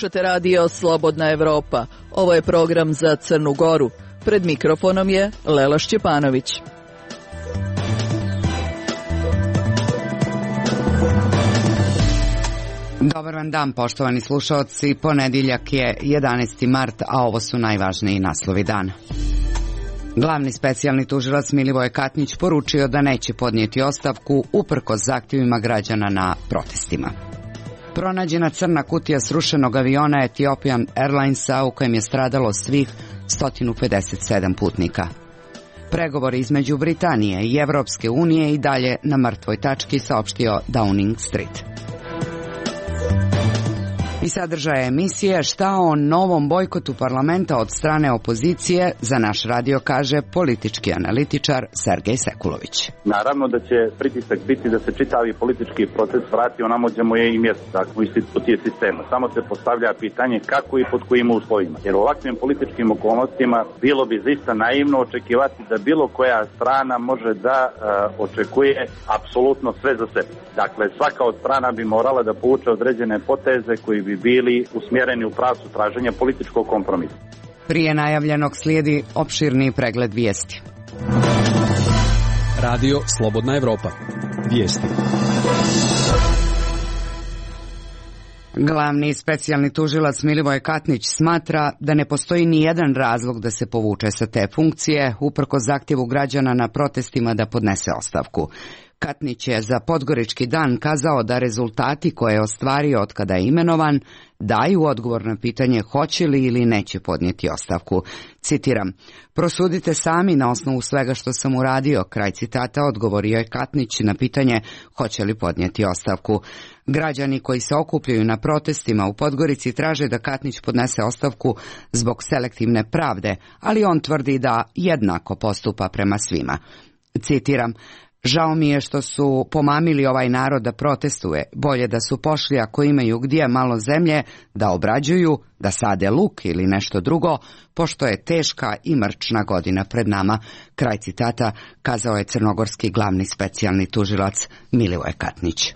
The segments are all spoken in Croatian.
Slušate radio Slobodna Evropa. Ovo je program za Crnu Goru. Pred mikrofonom je Lela Šćepanović. Dobar vam dan, poštovani slušaoci. Ponedjeljak je 11. mart, a ovo su najvažniji naslovi dana. Glavni specijalni tužilac Milivoje Katnić poručio da neće podnijeti ostavku uprkos zahtjevima građana na protestima. Pronađena crna kutija srušenog aviona Ethiopian Airlinesa u kojem je stradalo svih 157 putnika. Pregovori između Britanije i Evropske unije i dalje na mrtvoj tački, saopštio Downing Street. I sadržaje emisije šta o novom bojkotu parlamenta od strane opozicije za naš radio kaže politički analitičar Sergej Sekulović. Naravno da će pritisak biti da se čitavi politički proces vrati onamo gdje mu je i mjesto, dakle u institucije sistema. Samo se postavlja pitanje kako i pod kojim uslovima. Jer u ovakvim političkim okolnostima bilo bi zaista naivno očekivati da bilo koja strana može da očekuje apsolutno sve za sebe. Dakle, svaka od strana bi morala da povuče određene poteze koji bi bili usmjereni u pravcu traženja političkog kompromisa. Prije najavljenog slijedi opširni pregled vijesti. Radio Slobodna Evropa. Vijesti. Glavni specijalni tužilac Milivoje Katnić smatra da ne postoji ni jedan razlog da se povuče sa te funkcije, uprkos zahtjevu građana na protestima da podnese ostavku. Katnić je za Podgorički dan kazao da rezultati koje je ostvario od kada je imenovan daju odgovor na pitanje hoće li ili neće podnijeti ostavku. Citiram, prosudite sami na osnovu svega što sam uradio, kraj citata, odgovorio je Katnić na pitanje hoće li podnijeti ostavku. Građani koji se okupljaju na protestima u Podgorici traže da Katnić podnese ostavku zbog selektivne pravde, ali on tvrdi da jednako postupa prema svima. Citiram, žao mi je što su pomamili ovaj narod da protestuje, bolje da su pošli ako imaju gdje malo zemlje da obrađuju, da sade luk ili nešto drugo, pošto je teška i mrčna godina pred nama, kraj citata, kazao je crnogorski glavni specijalni tužilac Milivoje Katnić.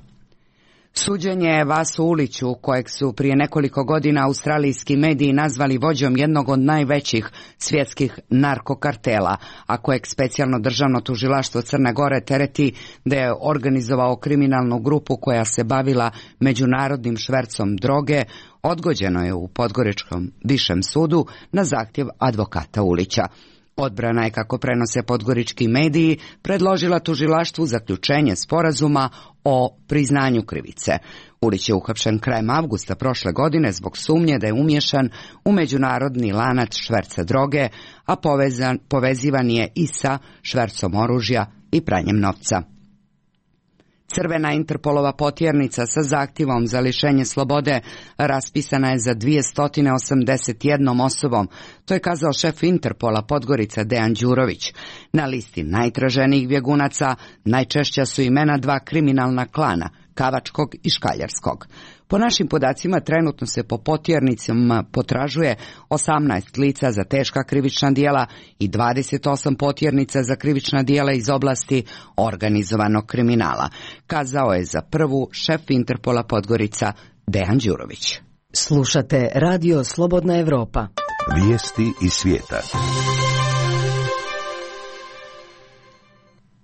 Suđenje Vasu Uliću, kojeg su prije nekoliko godina australijski mediji nazvali vođom jednog od najvećih svjetskih narkokartela, a kojeg specijalno državno tužilaštvo Crne Gore tereti da je organizovao kriminalnu grupu koja se bavila međunarodnim švercom droge, odgođeno je u Podgoričkom višem sudu na zahtjev advokata Ulića. Odbrana je, kako prenose podgorički mediji, predložila tužilaštvu zaključenje sporazuma o priznanju krivice. Ulić je uhapšen krajem avgusta prošle godine zbog sumnje da je umiješan u međunarodni lanac šverca droge, a povezivan je i sa švercom oružja i pranjem novca. Crvena Interpolova potjernica sa zahtjevom za lišenje slobode raspisana je za 281 osobom, to je kazao šef Interpola Podgorica Dejan Đurović. Na listi najtraženijih bjegunaca najčešća su imena dva kriminalna klana, Kavačkog i Škaljarskog. Po našim podacima trenutno se po potjernicama potražuje 18 lica za teška krivična djela i 28 potjernica za krivična djela iz oblasti organizovanog kriminala, kazao je za prvu šef Interpola Podgorica Dejan Đurović. Slušate radio Slobodna Evropa. Vijesti iz svijeta.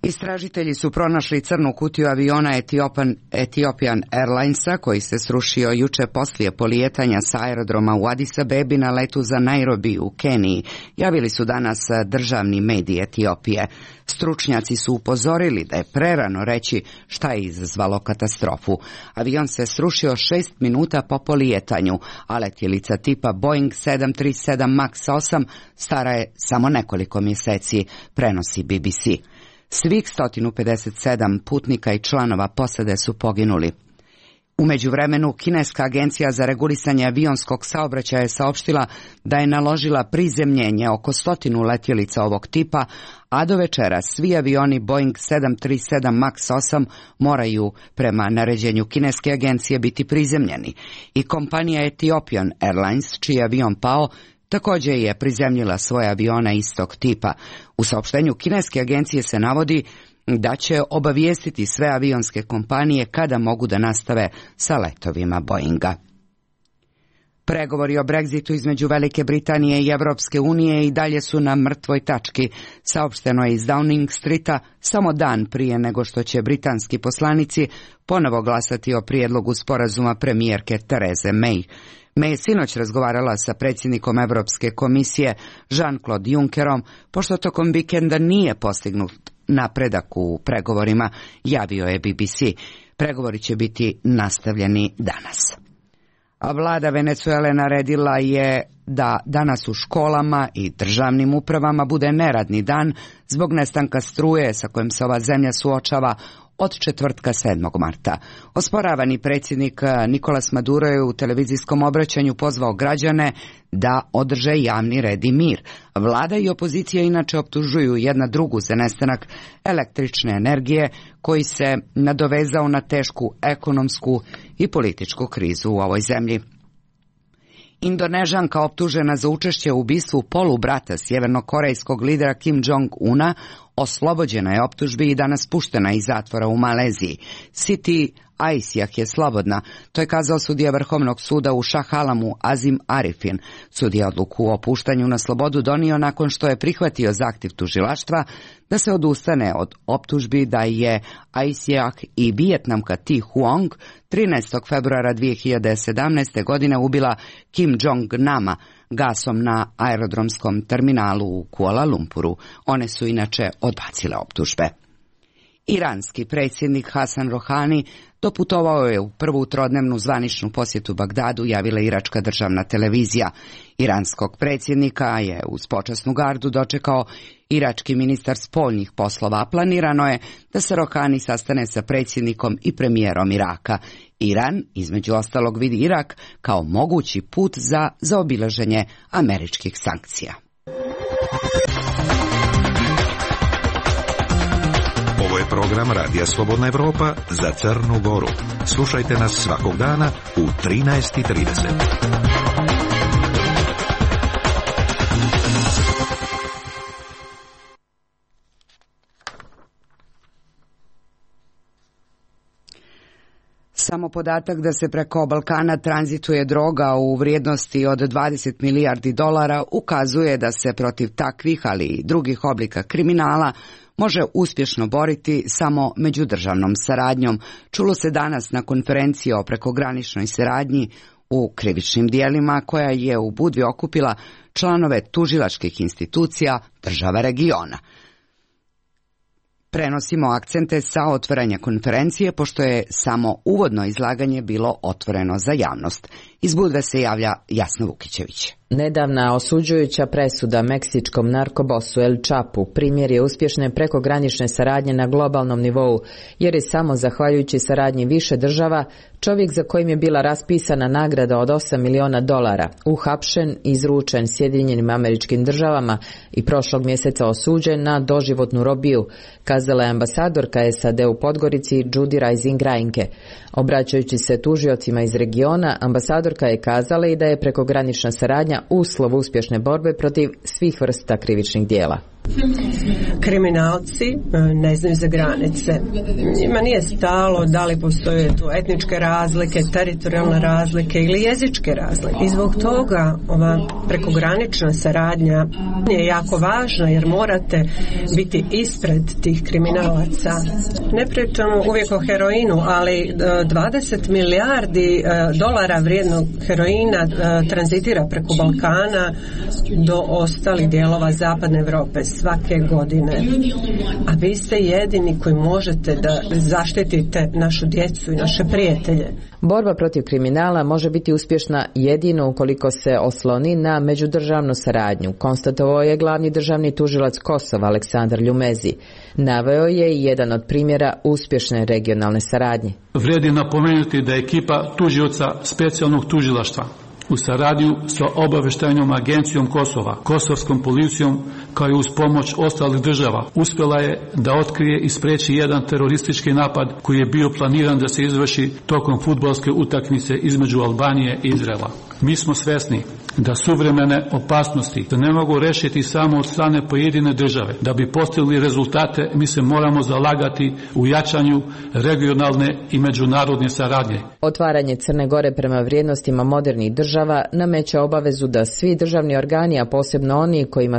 Istražitelji su pronašli crnu kutiju aviona Ethiopian Airlinesa koji se srušio juče poslije polijetanja sa aerodroma u Addis Abebi na letu za Nairobi u Keniji, javili su danas državni mediji Etiopije. Stručnjaci su upozorili da je prerano reći šta je izazvalo katastrofu. Avion se srušio 6 minuta po polijetanju, a letjelica tipa Boeing 737 MAX 8 stara je samo nekoliko mjeseci, prenosi BBC. Svih 157 putnika i članova posade su poginuli. U međuvremenu, kineska agencija za regulisanje avionskog saobraćaja je saopštila da je naložila prizemljenje oko 100 letjelica ovog tipa, a do večera svi avioni Boeing 737 MAX 8 moraju prema naređenju kineske agencije biti prizemljeni. I kompanija Ethiopian Airlines, čiji je avion pao, također je prizemljila svoje avione istog tipa. U saopštenju kineske agencije se navodi da će obavijestiti sve avionske kompanije kada mogu da nastave sa letovima Boeinga. Pregovori o Brexitu između Velike Britanije i Evropske unije i dalje su na mrtvoj tački, saopšteno je iz Downing Streeta samo dan prije nego što će britanski poslanici ponovo glasati o prijedlogu sporazuma premijerke Therese May. May je sinoć razgovarala sa predsjednikom Europske komisije Jean-Claude Junckerom, pošto tokom vikenda nije postignut napredak u pregovorima, javio je BBC. Pregovori će biti nastavljeni danas. A vlada Venezuele naredila je da danas u školama i državnim upravama bude neradni dan zbog nestanka struje sa kojim se ova zemlja suočava od četvrtka 7. marta. Osporavani predsjednik Nicolas Maduro je u televizijskom obraćanju pozvao građane da održe javni red i mir. Vlada i opozicija inače optužuju jedna drugu za nestanak električne energije koji se nadovezao na tešku ekonomsku i političku krizu u ovoj zemlji. Indonežanka optužena za učešće u ubistvu polubrata sjevernokorejskog lidera Kim Jong-una oslobođena je optužbi i danas puštena iz zatvora u Maleziji. Siti Aisjah je slobodna, to je kazao sudija Vrhovnog suda u Shah Alamu Azim Arifin. Sudija odluku o puštanju na slobodu donio nakon što je prihvatio zahtjev tužilaštva da se odustane od optužbi da je Aisjah i Vijetnamka Thi Huong 13. februara 2017. godine ubila Kim Jong-nama gasom na aerodromskom terminalu u Kuala Lumpuru. One su inače odbacile optužbe. Iranski predsjednik Hasan Rohani doputovao je u prvu trodnevnu zvaničnu posjetu Bagdadu, javila iračka državna televizija. Iranskog predsjednika je uz počasnu gardu dočekao irački ministar spoljnih poslova. Planirano je da se Rohani sastane sa predsjednikom i premijerom Iraka. Iran, između ostalog, vidi Irak kao mogući put za zaobilaženje američkih sankcija. Ovo je program Radija Slobodna Evropa za Crnu Goru. Slušajte nas svakog dana u 13:30. Samo podatak da se preko Balkana tranzituje droga u vrijednosti od 20 milijardi dolara ukazuje da se protiv takvih, ali i drugih oblika kriminala može uspješno boriti samo međudržavnom saradnjom. Čulo se danas na konferenciji o prekograničnoj saradnji u krivičnim dijelima koja je u Budvi okupila članove tužilačkih institucija država regiona. Prenosimo akcente sa otvaranja konferencije, pošto je samo uvodno izlaganje bilo otvoreno za javnost. Iz Budve se javlja Jasna Vukićević. Nedavna osuđujuća presuda meksičkom narkobosu El Chapu primjer je uspješne prekogranične saradnje na globalnom nivou, jer je samo zahvaljujući saradnji više država čovjek za kojim je bila raspisana nagrada od $8 miliona uhapšen, izručen Sjedinjenim Američkim Državama i prošlog mjeseca osuđen na doživotnu robiju, kazala je ambasadorka SAD u Podgorici Judy Rising Reinke. Obraćajući se tužiocima iz regiona, ambasadorka je kazala i da je prekogranična saradnja uslov uspješne borbe protiv svih vrsta krivičnih dijela. Kriminalci ne znaju za granice. Njima nije stalo da li postoje tu etničke razlike, teritorijalne razlike ili jezičke razlike. I zbog toga ova prekogranična saradnja je jako važna, jer morate biti ispred tih kriminalaca. Ne pričamo uvijek o heroinu, ali 20 milijardi dolara vrijednog heroina tranzitira preko Balkana do ostalih dijelova zapadne Europe svake godine. A vi ste jedini koji možete da zaštitite našu djecu i naše prijatelje. Borba protiv kriminala može biti uspješna jedino ukoliko se osloni na međudržavnu saradnju, konstatovao je glavni državni tužilac Kosova Aleksandar Ljumezi. Naveo je i jedan od primjera uspješne regionalne saradnje. Vrijedi napomenuti da je ekipa tužioca specijalnog tužilaštva u saradnju sa obavještajnom agencijom Kosova, kosovskom policijom, kao i uz pomoć ostalih država, uspjela je da otkrije i spriječi jedan teroristički napad koji je bio planiran da se izvrši tokom fudbalske utakmice između Albanije i Izraela. Mi smo svesni da suvremene opasnosti se ne mogu rešiti samo od strane pojedine države. Da bi postigli rezultate, mi se moramo zalagati u jačanju regionalne i međunarodne saradnje. Otvaranje Crne Gore prema vrijednostima modernih država nameće obavezu da svi državni organi, a posebno oni kojima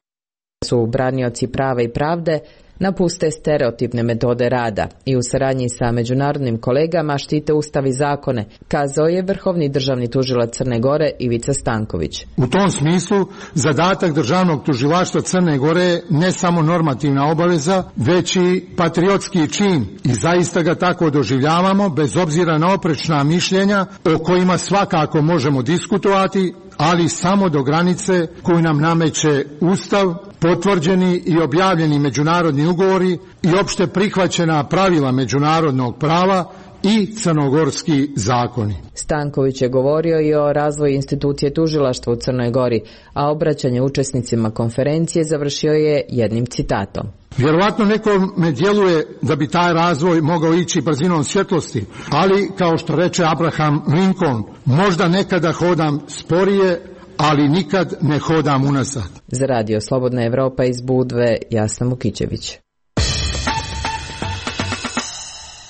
su branioci prava i pravde, napuste stereotipne metode rada i u saradnji sa međunarodnim kolegama štite ustav i zakone, kazao je vrhovni državni tužilac Crne Gore Ivica Stanković. U tom smislu, zadatak državnog tužilaštva Crne Gore je ne samo normativna obaveza, već i patriotski čin i zaista ga tako doživljavamo, bez obzira na oprečna mišljenja o kojima svakako možemo diskutovati, ali samo do granice koju nam nameće Ustav, potvrđeni i objavljeni međunarodni ugovori i opšte prihvaćena pravila međunarodnog prava i crnogorski zakoni. Stanković je govorio i o razvoju institucije tužilaštva u Crnoj Gori, a obraćanje učesnicima konferencije završio je jednim citatom. Vjerovatno nekome djeluje da bi taj razvoj mogao ići brzinom svjetlosti, ali kao što reče Abraham Lincoln, možda nekada hodam sporije, ali nikad ne hodam unazad. Za Radio Slobodna Evropa iz Budve, Jasna Mukićević.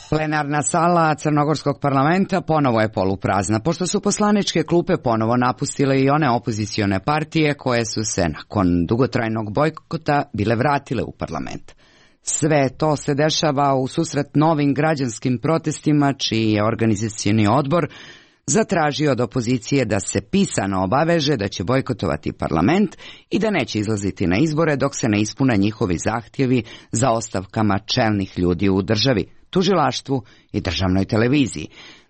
Plenarna sala Crnogorskog parlamenta ponovo je poluprazna, pošto su poslaničke klupe ponovo napustile i one opozicione partije koje su se nakon dugotrajnog bojkota bile vratile u parlament. Sve to se dešava u susret novim građanskim protestima, čiji je organizacioni odbor zatražio od opozicije da se pisano obaveže da će bojkotovati parlament i da neće izlaziti na izbore dok se ne ispune njihovi zahtjevi za ostavkama čelnih ljudi u državi, tužilaštvu i državnoj televiziji.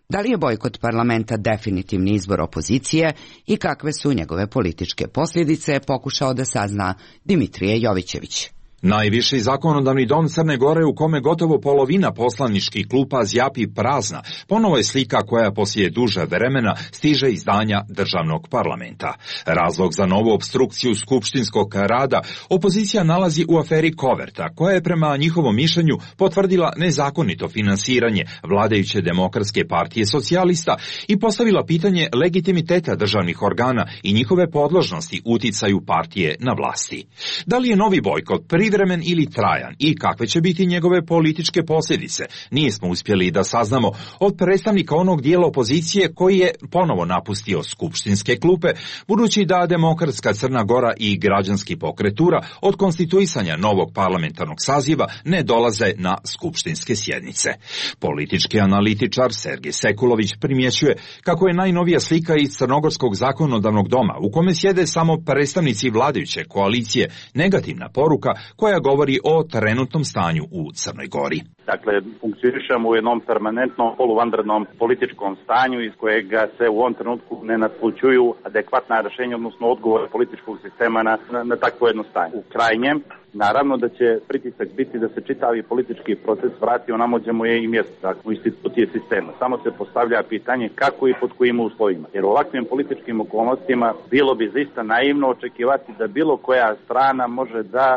Da li je bojkot parlamenta definitivni izbor opozicije i kakve su njegove političke posljedice, pokušao da sazna Dimitrije Jovićević. Najviši zakonodavni dom Crne Gore, u kome gotovo polovina poslaničkih klupa zjapi prazna, ponovo je slika koja poslije duže vremena stiže iz zdanja državnog parlamenta. Razlog za novu opstrukciju skupštinskog rada opozicija nalazi u aferi Koverta, koja je prema njihovom mišljenju potvrdila nezakonito finansiranje vladajuće Demokratske partije socijalista i postavila pitanje legitimiteta državnih organa i njihove podložnosti uticaju partije na vlasti. Da li je novi bojkot privremen ili trajan i kakve će biti njegove političke posljedice, nismo uspjeli da saznamo od predstavnika onog dijela opozicije koji je ponovo napustio skupštinske klupe, budući da Demokratska Crna Gora i građanski pokretura od konstituisanja novog parlamentarnog saziva ne dolaze na skupštinske sjednice. Politički analitičar Sergej Sekulović primjećuje kako je najnovija slika iz Crnogorskog zakonodavnog doma, u kome sjede samo predstavnici vladajuće koalicije, negativna poruka koja govori o trenutnom stanju u Crnoj Gori. Dakle, funkcionišemo u jednom permanentnom poluvanrednom političkom stanju iz kojega se u ovom trenutku ne natpućuju adekvatna rješenja, odnosno odgovore političkog sistema na takvo jedno stanje. U krajnjem, naravno da će pritisak biti da se čitavi politički proces vrati onamo gdje mu je i mjesto, dakle, u institucije sistema. Samo se postavlja pitanje kako i pod kojim uslovima. Jer u ovakvim političkim okolnostima bilo bi zaista naivno očekivati da bilo koja strana može da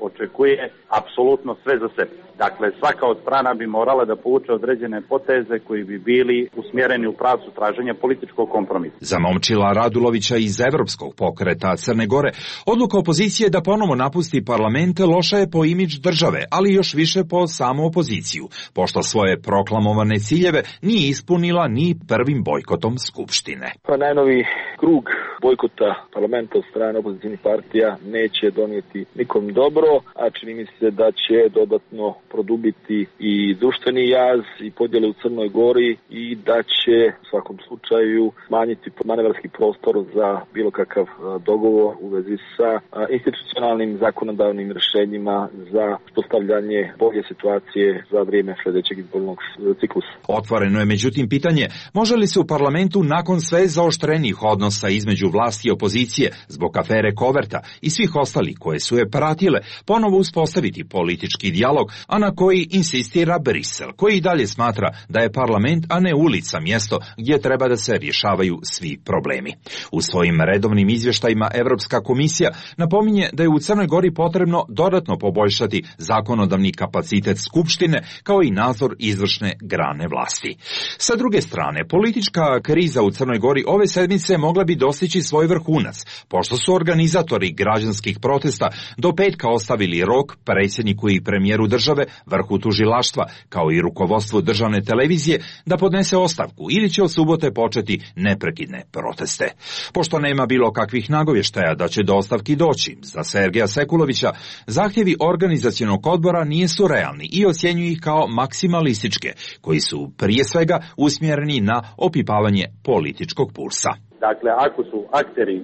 očekuje apsolutno sve za sebe. Dakle, svaka od strana bi morala da povuče određene poteze koji bi bili usmjereni u pravcu traženja političkog kompromisa. Za Momčila Radulovića iz Evropskog pokreta Crne Gore, odluka opozicije da ponovo napusti parlament loša je po imidž države, ali još više po samu opoziciju, pošto svoje proklamovane ciljeve nije ispunila ni prvim bojkotom Skupštine. Pa najnovi krug bojkota parlamenta od strane opozicijnih partija neće donijeti nikom dobro, a čini mi se da će dodatno produbiti i društveni jaz i podjele u Crnoj Gori i da će u svakom slučaju smanjiti manevarski prostor za bilo kakav dogovor u vezi sa institucionalnim zakonodavnim rješenjima za postavljanje bolje situacije za vrijeme sljedećeg izbornog ciklusa. Otvoreno je međutim pitanje, može li se u parlamentu nakon sve zaoštrenijih odnosa između vlasti i opozicije zbog afere Koverta i svih ostalih koje su je pratile ponovo uspostaviti politički dijalog, a na koji insistira Brisel, koji i dalje smatra da je parlament, a ne ulica, mjesto gdje treba da se rješavaju svi problemi. U svojim redovnim izvještajima Evropska komisija napominje da je u Crnoj Gori potrebno dodatno poboljšati zakonodavni kapacitet Skupštine kao i nadzor izvršne grane vlasti. Sa druge strane, politička kriza u Crnoj Gori ove sedmice mogla bi dostići svoj vrhunac, pošto su organizatori građanskih protesta do petka ostavili rok predsjedniku i premijeru države, vrhu tužilaštva, kao i rukovodstvu državne televizije da podnese ostavku ili će od subote početi neprekidne proteste. Pošto nema bilo kakvih nagovještaja da će do ostavki doći, za Sergeja Sekulovića zahtjevi organizacionog odbora nisu realni i ocjenjuju ih kao maksimalističke, koji su prije svega usmjereni na opipavanje političkog pulsa. Dakle, ako su akteri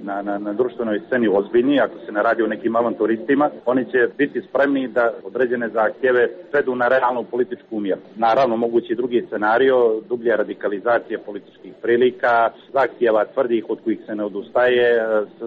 na društvenoj sceni ozbiljni, ako se ne radi o nekim avanturistima, oni će biti spremni da određene zahtjeve svedu na realnu političku mjeru. Naravno, mogući drugi scenario, dublja radikalizacija političkih prilika, zahtjeva tvrdih od kojih se ne odustaje,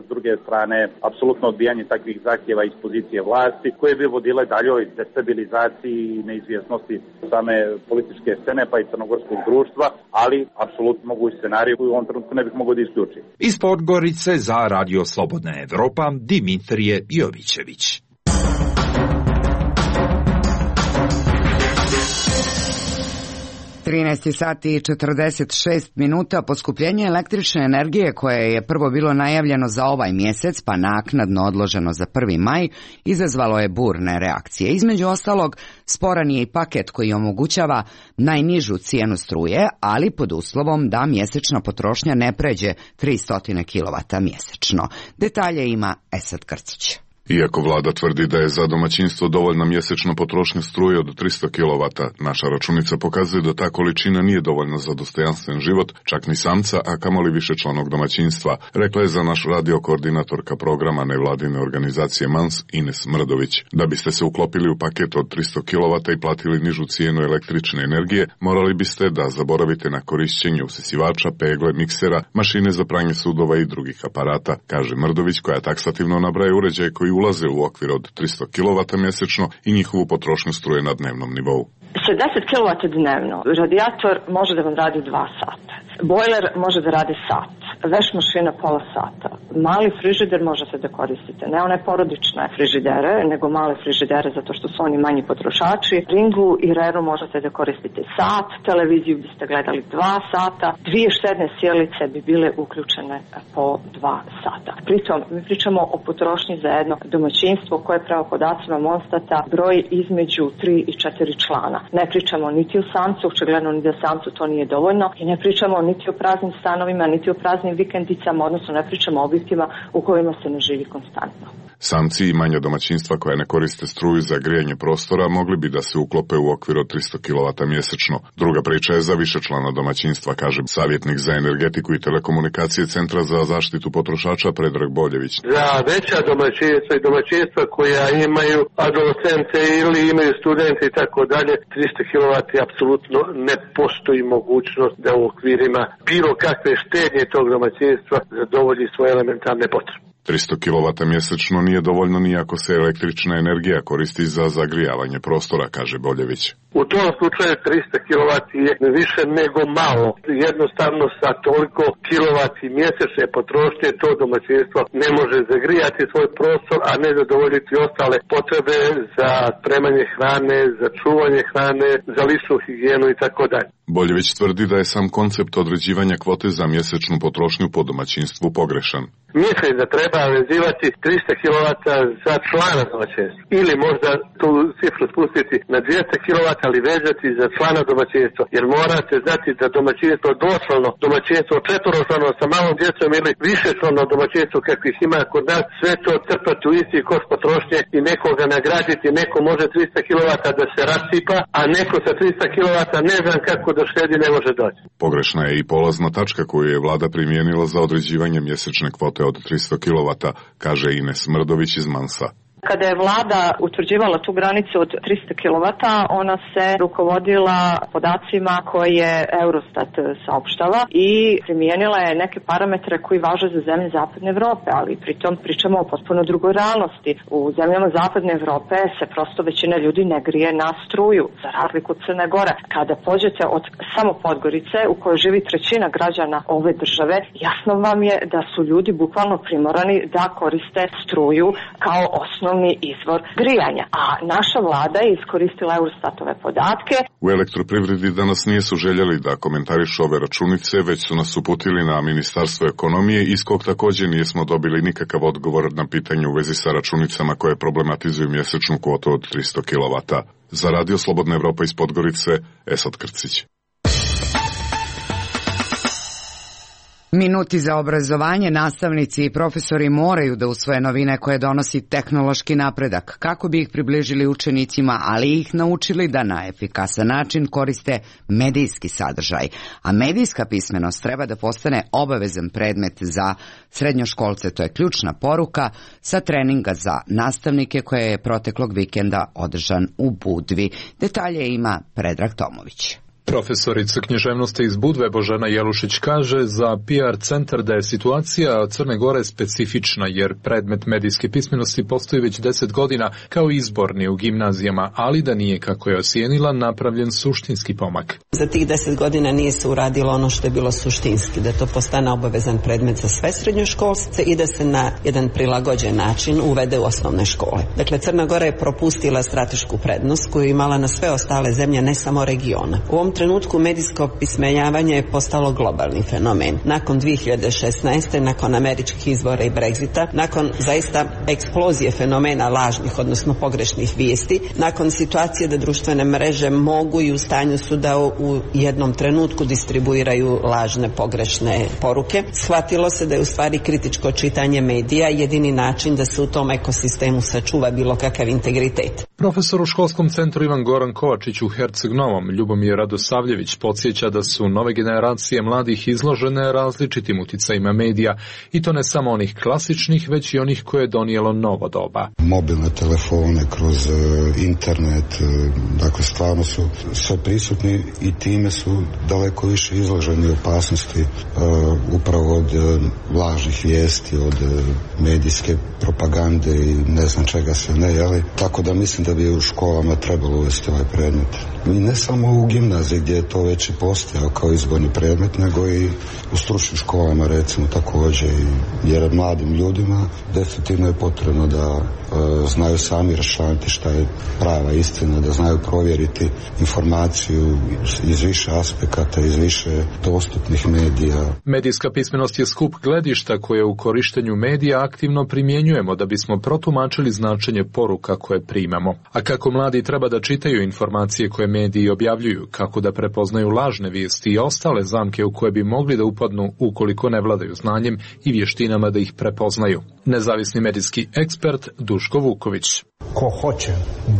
s druge strane, apsolutno odbijanje takvih zahtjeva iz pozicije vlasti, koje bi vodile daljoj destabilizaciji i neizvjesnosti same političke scene, pa i crnogorskog društva, ali apsolutno mogući scenarij koji u ovom trenutku ne bih mogao da isključiti. Iz Podgorice za Radio Slobodna Evropa, Dimitrije Jovićević. sati i 46 minuta. Poskupljenje električne energije koje je prvo bilo najavljeno za ovaj mjesec pa naknadno odloženo za 1. maj izazvalo je burne reakcije. Između ostalog, sporan je i paket koji omogućava najnižu cijenu struje, ali pod uslovom da mjesečna potrošnja ne pređe 300 kW mjesečno. Detalje ima Esad Krcić. Iako vlada tvrdi da je za domaćinstvo dovoljna mjesečna potrošnja struje od 300 kW, naša računica pokazuje da ta količina nije dovoljna za dostojanstven život, čak ni samca, a kamoli višečlanog domaćinstva, rekla je za naš radio koordinatorka programa nevladine organizacije MANS Ines Mrdović. Da biste se uklopili u paket od 300 kW i platili nižu cijenu električne energije, morali biste da zaboravite na korišćenje usisivača, pegle, miksera, mašine za pranje sudova i drugih aparata, kaže Mrdović, koja taksativno nabraja uređaje koji ulaze u okvir od 300 kW mjesečno i njihovu potrošnju struje na dnevnom nivou. 60 kW dnevno. Radijator može da vam radi 2 sata. Bojler može da radi sat. Veš mašina pola sata. Mali frižider možete da koristite. Ne one porodične frižidere, nego male frižidere zato što su oni manji potrošači. Ringu i Reru možete da koristite sat. Televiziju biste gledali 2 sata. 2 štedne sjelice bi bile uključene po 2 sata. Pritom, mi pričamo o potrošnji za jedno domaćinstvo koje prema podacima Monstata broji između 3 i 4 člana. Ne pričamo niti o samcu, očigledno ni da samcu to nije dovoljno, i ne pričamo niti o praznim stanovima, niti o praznim vikendicama, odnosno ne pričamo o objektima u kojima se ne živi konstantno. Samci i manja domaćinstva koja ne koriste struju za grijanje prostora mogli bi da se uklope u okvir od 300 kW mjesečno. Druga priča je za višečlana domaćinstva, kaže savjetnik za energetiku i telekomunikacije Centra za zaštitu potrošača Predrag Boljević. Za veća domaćinstva i domaćinstva koja imaju adolescente ili imaju studente i tako dalje, 300 kW apsolutno ne postoji mogućnost da u okvirima bilo kakve štednje tog domaćinstva zadovolji svoje elementarne potrebe. 300 kW mjesečno nije dovoljno ni ako se električna energija koristi za zagrijavanje prostora, kaže Boljević. U tom slučaju 300 kW je više nego malo. Jednostavno sa toliko kilovati mjesečne potrošnje to domaćinstvo ne može zagrijati svoj prostor, a ne zadovoljiti ostale potrebe za spremanje hrane, za čuvanje hrane, za ličnu higijenu i tako dalje. Boljević tvrdi da je sam koncept određivanja kvote za mjesečnu potrošnju po domaćinstvu pogrešan. Mislim da treba vezivati 300 kW za člana domaćinstva. Ili možda tu cifru spustiti na 200 kW, ali vezati za člana domaćinstva. Jer morate znati da domaćinstvo doslovno, domaćinstvo četvoročlano sa malom djecom ili višečlano domaćinstvo kakvih ima kod nas, sve to crpati u isti koš potrošnje i nekoga nagraditi. Neko može 300 kW da se rasipa, a neko sa 300 kW ne znam kako da štedi ne može doći. Pogrešna je i polazna tačka koju je vlada primijenila za određivanje mjesečne kvote od 300 kW, kaže Ines Mrdović iz Mansa. Kada je vlada utvrđivala tu granicu od 300 kW, ona se rukovodila podacima koje je Eurostat saopštava i primijenila je neke parametre koji važe za zemlje Zapadne Evrope, ali pritom pričamo o potpuno drugoj realnosti. U zemljama Zapadne Evrope se prosto većina ljudi ne grije na struju, za razliku od Crne Gore. Kada pođete od samo Podgorice, u kojoj živi trećina građana ove države, jasno vam je da su ljudi bukvalno primorani da koriste struju kao osnovni izvor grijanja. A naša vlada je iskoristila Eurostatove podatke. U elektroprivredi danas nisu željeli da komentarišu ove računice, već su nas uputili na Ministarstvo ekonomije, iz kog također nismo dobili nikakav odgovor na pitanje u vezi sa računicama koje problematizuju mjesečnu kvotu od 300 kW. Za Radio Slobodna Evropa iz Podgorice, Esad Krcić. Minuti za obrazovanje, nastavnici i profesori moraju da usvoje novine koje donosi tehnološki napredak, kako bi ih približili učenicima, ali ih naučili da na efikasan način koriste medijski sadržaj. A medijska pismenost treba da postane obavezan predmet za srednjoškolce, to je ključna poruka sa treninga za nastavnike koje je proteklog vikenda održan u Budvi. Detalje ima Predrag Tomović. Profesorica književnosti iz Budve Božena Jelušić kaže za PR centar da je situacija Crne Gore specifična jer predmet medijske pismenosti postoji već 10 godina kao izborni u gimnazijama, ali da nije, kako je ocijenila, napravljen suštinski pomak. Za tih 10 godina nije se uradilo ono što je bilo suštinski, da to postane obavezan predmet za sve srednjoškolce i da se na jedan prilagođen način uvede u osnovne škole. Dakle, Crna Gora je propustila stratešku prednost koju je imala na sve ostale zemlje, ne samo regiona. U ovom trenutku medijsko opismenjavanje je postalo globalni fenomen. Nakon 2016. nakon američkih izbora i Brexita, nakon zaista eksplozije fenomena lažnih, odnosno pogrešnih vijesti, nakon situacije da društvene mreže mogu i u stanju su da u jednom trenutku distribuiraju lažne, pogrešne poruke, shvatilo se da je u stvari kritičko čitanje medija jedini način da se u tom ekosistemu sačuva bilo kakav integritet. Profesor u školskom centru Ivan Goran Kovačić u Herceg Novom, Ljubomir Radosavljević, podsjeća da su nove generacije mladih izložene različitim uticajima medija i to ne samo onih klasičnih, već i onih koje je donijelo novo doba. Mobilne telefone, kroz internet, dakle stvarno su sve prisutni i time su daleko više izloženi opasnosti upravo od lažnih vijesti, od medijske propagande i ne znam čega se ne, jeli? Tako da mislim da bi u školama trebalo uvesti ovaj predmet. I ne samo u gimnaziji gdje je to već i postojao kao izborni predmet, nego i u stručnim školama recimo također, jer mladim ljudima definitivno je potrebno da znaju sami raščlaniti šta je prava istina, da znaju provjeriti informaciju iz više aspekata, iz više dostupnih medija. Medijska pismenost je skup gledišta koje u korištenju medija aktivno primjenjujemo da bismo protumačili značenje poruka koje primamo. A kako mladi treba da čitaju informacije koje mediji objavljuju, kako da prepoznaju lažne vijesti i ostale zamke u koje bi mogli da upadnu ukoliko ne vladaju znanjem i vještinama da ih prepoznaju. Nezavisni medijski ekspert Duško Vuković. Ko hoće,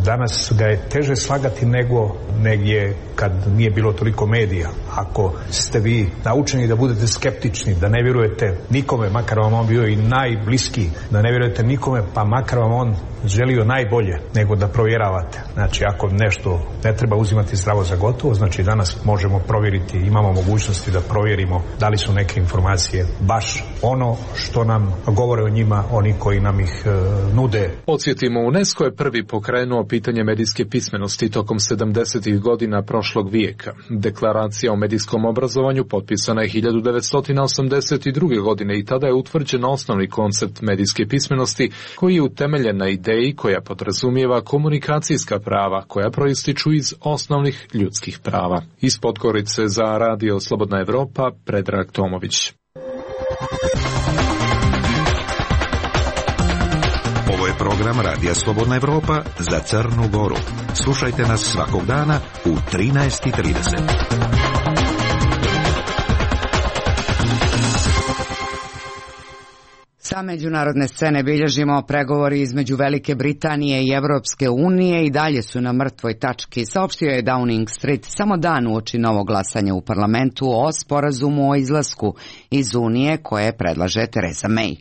danas ga je teže slagati nego negdje kad nije bilo toliko medija. Ako ste vi naučeni da budete skeptični, da ne vjerujete nikome, makar vam on bio i najbliskiji, da ne vjerujete nikome, pa makar vam on želio najbolje, nego da provjeravate. Znači, ako nešto ne treba uzimati zdravo za gotovo, znači danas možemo provjeriti, imamo mogućnosti da provjerimo da li su neke informacije baš ono što nam govore o njima, oni koji nam ih nude. Podsjetimo, UNESCO je prvi pokrenuo pitanje medijske pismenosti tokom 70. godina prošlog vijeka. Deklaracija o medijskom obrazovanju potpisana je 1982. godine i tada je utvrđen osnovni koncept medijske pismenosti koji je utemeljen na ideji koja podrazumijeva komunikacijska prava koja proističu iz osnovnih ljudskih prava. Iz Podgorice za Radio Slobodna Evropa, Predrag Tomović. Ovo je program Radija Slobodna Evropa za Crnu Goru. Slušajte nas svakog dana u 13:30. Sa međunarodne scene bilježimo pregovori između Velike Britanije i Evropske unije i dalje su na mrtvoj tački, saopštio je Downing Street samo dan uoči novog glasanja u parlamentu o sporazumu o izlasku iz Unije koje predlaže Theresa May.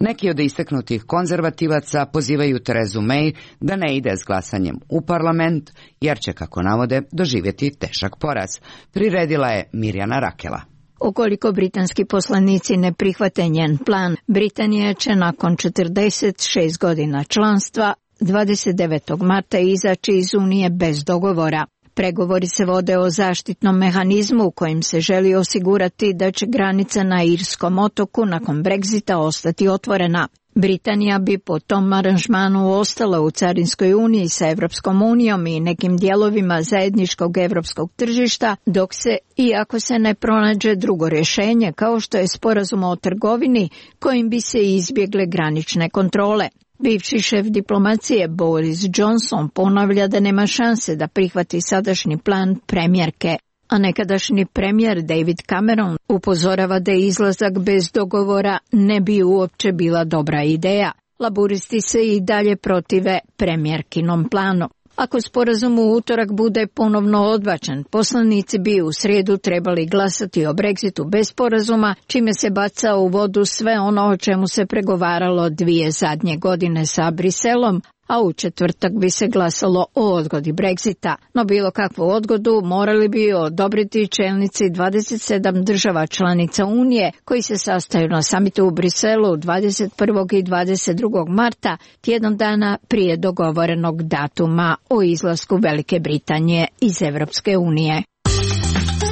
Neki od istaknutih konzervativaca pozivaju Terezu May da ne ide s glasanjem u parlament, jer će, kako navode, doživjeti težak poraz. Priredila je Mirjana Rakela. Ukoliko britanski poslanici ne prihvate njen plan, Britanija će nakon 46 godina članstva 29. marta izaći iz Unije bez dogovora. Pregovori se vode o zaštitnom mehanizmu u kojim se želi osigurati da će granica na Irskom otoku nakon Brexita ostati otvorena. Britanija bi po tom aranžmanu ostala u Carinskoj uniji sa Evropskom unijom i nekim dijelovima zajedničkog evropskog tržišta, dok se, iako se ne pronađe drugo rješenje, kao što je sporazum o trgovini, kojim bi se izbjegle granične kontrole. Bivši šef diplomacije Boris Johnson ponavlja da nema šanse da prihvati sadašnji plan premijerke, a nekadašnji premijer David Cameron upozorava da izlazak bez dogovora ne bi uopće bila dobra ideja. Laburisti se i dalje protive premijerkinom planu. Ako sporazum u utorak bude ponovno odbačen, poslanici bi u srijedu trebali glasati o Brexitu bez sporazuma, čime se baca u vodu sve ono o čemu se pregovaralo 2 zadnje godine sa Briselom, a u četvrtak bi se glasalo o odgodi Brexita. No bilo kakvu odgodu morali bi odobriti čelnici 27 država članica Unije koji se sastaju na samitu u Briselu 21. i 22. marta, tjedan dana prije dogovorenog datuma o izlasku Velike Britanije iz Evropske unije.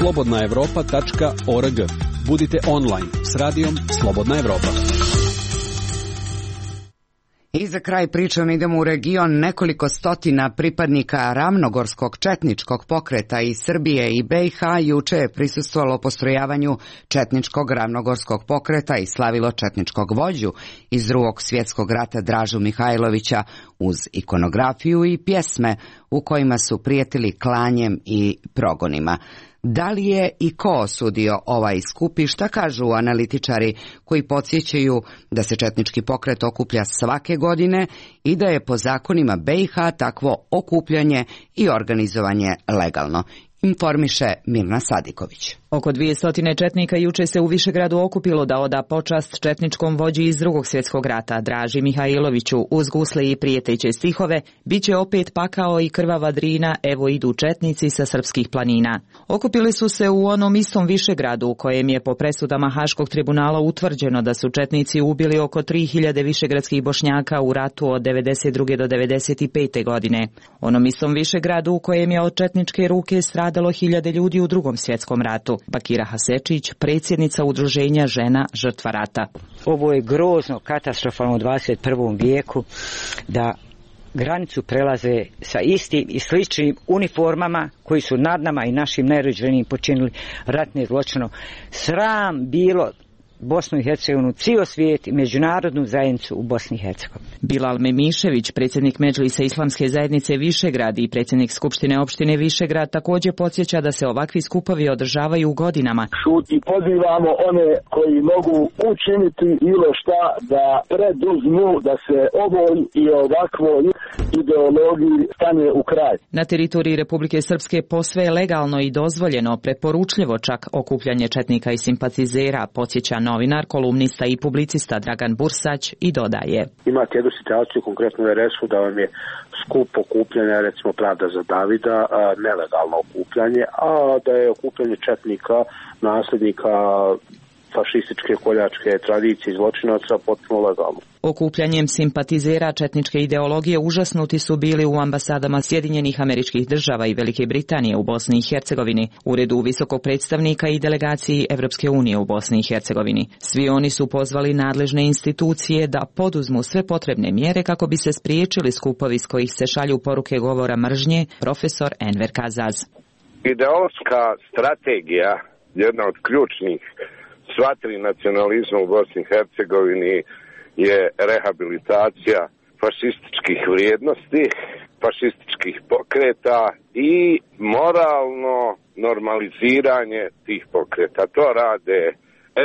Slobodnaevropa.org. Budite online s radijom Slobodna Evropa. I za kraj pričom idemo u region. Nekoliko stotina pripadnika ravnogorskog četničkog pokreta iz Srbije i BiH juče je prisustvovalo postrojavanju četničkog ravnogorskog pokreta i slavilo četničkog vođu iz Drugog svjetskog rata Dražu Mihajlovića uz ikonografiju i pjesme u kojima su prijetili klanjem i progonima. Da li je i ko osudio ovaj skup i šta kažu analitičari koji podsjećaju da se četnički pokret okuplja svake godine i da je po zakonima BiH takvo okupljanje i organizovanje legalno? Informiše Mirna Sadiković. Oko 200 četnika juče se u Višegradu okupilo da oda počast četničkom vođi iz Drugog svjetskog rata, Draži Mihajloviću. Uz gusle i prijeteće stihove, bit će opet pakao i krvava Drina, evo idu četnici sa srpskih planina. Okupili su se u onom istom Višegradu u kojem je po presudama Haškog tribunala utvrđeno da su četnici ubili oko 3000 višegradskih Bošnjaka u ratu od 92. do 95. godine. Onom istom Višegradu u kojem je od četničke ruke stradalo 1000 ljudi u Drugom svjetskom ratu. Bakira Hasečić, predsjednica udruženja Žena žrtva rata. Ovo je grozno, katastrofalno u 21. vijeku da granicu prelaze sa istim i sličnim uniformama koji su nad nama i našim najrođenijim počinili ratne zločine. Sram bilo Bosnu i Hercegovinu, cijel svijet i međunarodnu zajednicu u Bosni i Hercegovini. Bilal Memišević, predsjednik Medžlisa Islamske zajednice Višegrad i predsjednik Skupštine opštine Višegrad, također podsjeća da se ovakvi skupovi održavaju godinama. I pozivamo one koji mogu učiniti bilo šta da preduzmu da se ovoj i ovakvoj ideologiji stane u kraj. Na teritoriji Republike Srpske posve je legalno i dozvoljeno, preporučljivo čak okupljanje četnika i simpatizera, podsjeća novinar, kolumnista i publicista Dragan Bursać i dodaje. Imate jednu situaciju konkretno u RS-u da vam je skup okupljanja, recimo Pravda za Davida, nelegalno okupljanje, a da je okupljanje četnika, nasljednika fašističke koljačke tradicije i zločinaca potpuno legalno. Okupljanjem simpatizera četničke ideologije užasnuti su bili u ambasadama Sjedinjenih Američkih Država i Velike Britanije u Bosni i Hercegovini, uredu visokog predstavnika i delegaciji Evropske unije u Bosni i Hercegovini. Svi oni su pozvali nadležne institucije da poduzmu sve potrebne mjere kako bi se spriječili skupovi s kojih se šalju poruke govora mržnje, profesor Enver Kazaz. Ideološka strategija, jedna od ključnih svatri nacionalizma u Bosni i Hercegovini je rehabilitacija fašističkih vrijednosti, fašističkih pokreta i moralno normaliziranje tih pokreta. To rade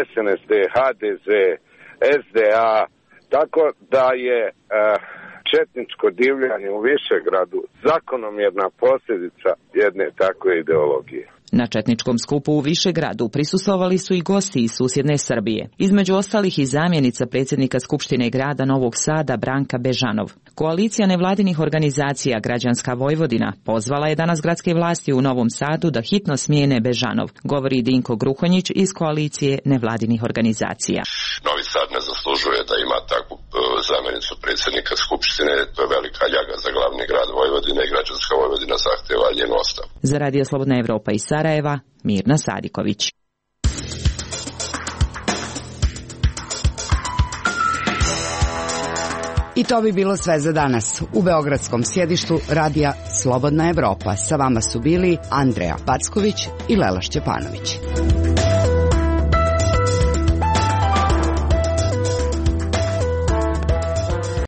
SNSD, HDZ, SDA, tako da je četničko divljanje u Višegradu zakonomjerna posljedica jedne takve ideologije. Na četničkom skupu u Višegradu prisustvovali su i gosti iz susjedne Srbije, između ostalih i zamjenica predsjednika Skupštine grada Novog Sada Branka Bežanov. Koalicija nevladinih organizacija Građanska Vojvodina pozvala je danas gradske vlasti u Novom Sadu da hitno smijene Bežanov, govori Dinko Gruhonjić iz koalicije nevladinih organizacija. Novi Sad ne zaslužuje da ima takvu zamjenicu predsjednika Skupštine, to je velika ljaga za glavni grad Vojvodine i Građanska Vojvodina zahtjeva njenu ostavku. Za Radio Slobodna Evropa iz Sarajeva, Mirna Sadiković. I to bi bilo sve za danas. U beogradskom sjedištu Radija Slobodna Evropa sa vama su bili Andreja Packović i Lela Šćepanović.